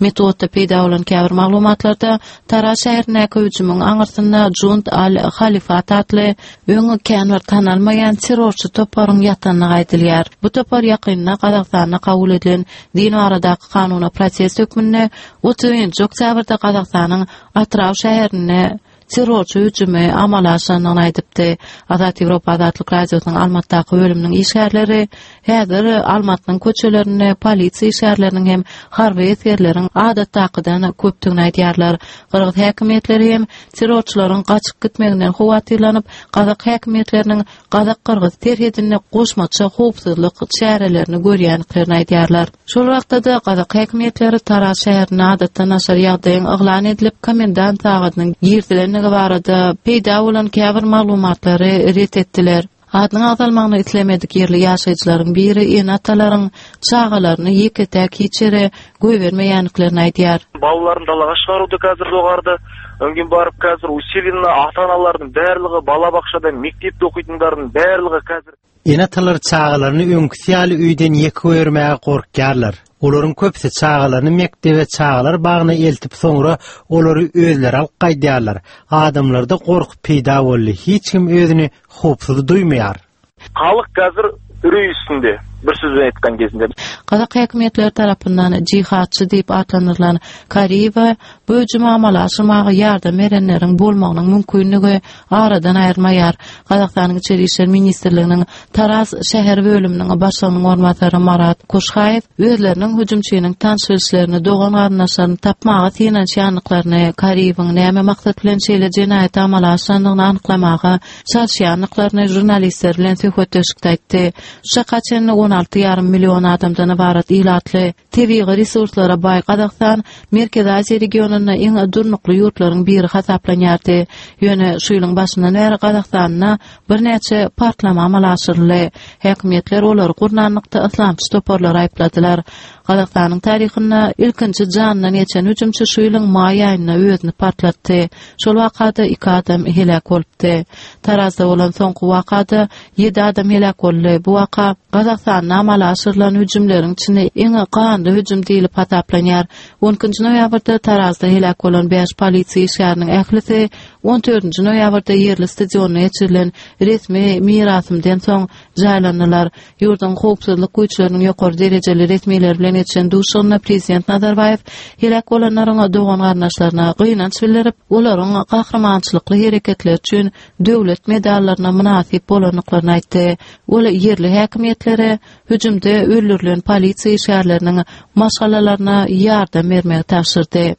Metbugatda peýda bolan käbir maglumatlarda Taraz şäherindäki hüjümiň aňyrsynda Jund al-Halifat atly öň kän bir tanalmaýan terrorçy toparyň ýatandygy aýdylýar. Bu topar ýakynda Gazagystanda kabul edilen din baradaky kanuna protest hökmünde 31 oktýabrda Gazagystanyň Atyrau şäherinde terrorçy hüjümi amala aşyrandygyny aýdypdy. Azat Ýewropa Azatlyk Radiosynyň Almatdaky bölüminiň işgärleri häzir Almatynyň köçelerinde polisiýa işgärleriniň hem harby esgerleriň adatdakydan köpdügini aýdýarlar. Gyrgyz häkimiýetleri hem terrorçylaryň gaçyp gitmeginden howatyrlanyp, gazak häkimiýetleriniň gazak-gyrgyz serhedinde goşmaça howpsuzlyk çärelerini görýändiklerini aýdýarlar. Şol wagtda-da gazak häkimiýetleri Taraz şäherinde adatdan daşary ýagdaýyň yglan edilip, komendant sagadynyň girizilendigi barada peýda bolan käbir maglumatlary ret etdiler. Adynyň agzalmagyny islemedik ýerli ýaşaýjylaryň biri ene-atalaryň çagalaryny ýeke-täk hiç ýere goýbermeýändiklerini aýdýar. Балаларын далаға шығаруды қазір доғарды. Одан кейін барып қазір усиленно ата-аналардың барлығы балабақшада мектепте оқитындардың барлығы қазір Ene-atalar çagalaryny öňküsi ýaly öýden ýeke goýbermäge gorkýarlar. Olaryň köpüsi çagalaryny mekdebe, çagalar bagyna eltip soňra olary özleri alyp gaýdýarlar. Adamlarda gorky peýda boldy, hiç kim özüni howpsuz duýmaýar. Halyk қазір үрей үстінде, bir сөзбен айтқан кезінде. Gazak häkimiýetleri tarapyndan jihadçy diýip atlandyrylan Kariýewe bu hüjümi amala aşyrmaga ýardam berenleriň bolmagynyň mümkinligi aradan aýrylmaýar. Gazagystanyň Içeri işler ministrliginiň Taraz şäher bölüminiň başlygynyň orunbasary Marat Kuşhaýew özleriniň hüjümçiniň tanyş-bilişlerini, dogan-garyndaşlaryny tapmaga synanyşýandyklaryny, Kariýewiň näme maksat bilen şeýle jenaýaty amala aşyrandygyny anyklamaga çalyşýandyklaryny žurnalistler bilen söhbetdeşlikde aýtdy. Şu çaka çenli 16 ýarym million adamdan ybarat ilatly, tebigy resurslara baý Gazagystan Merkezi Aziýa regionynda iň durnukly ýurtlaryň biri hasaplanýardy. Ýöne şu ýylyň başyndan bäri Gazagystanda birnäçe partlama amala aşyryldy. Häkimiýetler olary gurnanlykda yslamçy toparlary aýypladylar. Gazagystanyň taryhynda ilkinji janyndan geçen hüjümçi şu ýylyň maý aýynda özüni partlatdy. Şol wakada iki adam heläk bolupdy. Tarazda bolan soňky wakada ýedi adam heläk boldy. Bu waka Gazagystanda amala aşyrylan hüjümleriň içinde iň ganly hüjüm diýlip hasaplanýar. On ikinji noýabrda Tarazda heläk bolan bäş polisiýa işgäriniň ählisi on dördünji noýabrda ýerli stadionda geçirilen resmi mirasymden soň jaýlandylar. Ýurduň howpsuzlyk güýçleriniň ýokary derejeli resmileri bilen geçiren duşuşygynda prezident Nazarbaýew heläk bolanlaryň dogan-garyndaşlaryna gynanç bildirip, olaryň gahrymançylykly hereketleri üçin döwlet medallaryna mynasyp bolandyklaryny aýtdy. Ol ýerli häkimiýetlere hüjümde öldürilen polisiýa işgärleriniň maşgalalaryna ýardam bermegi tabşyrdy.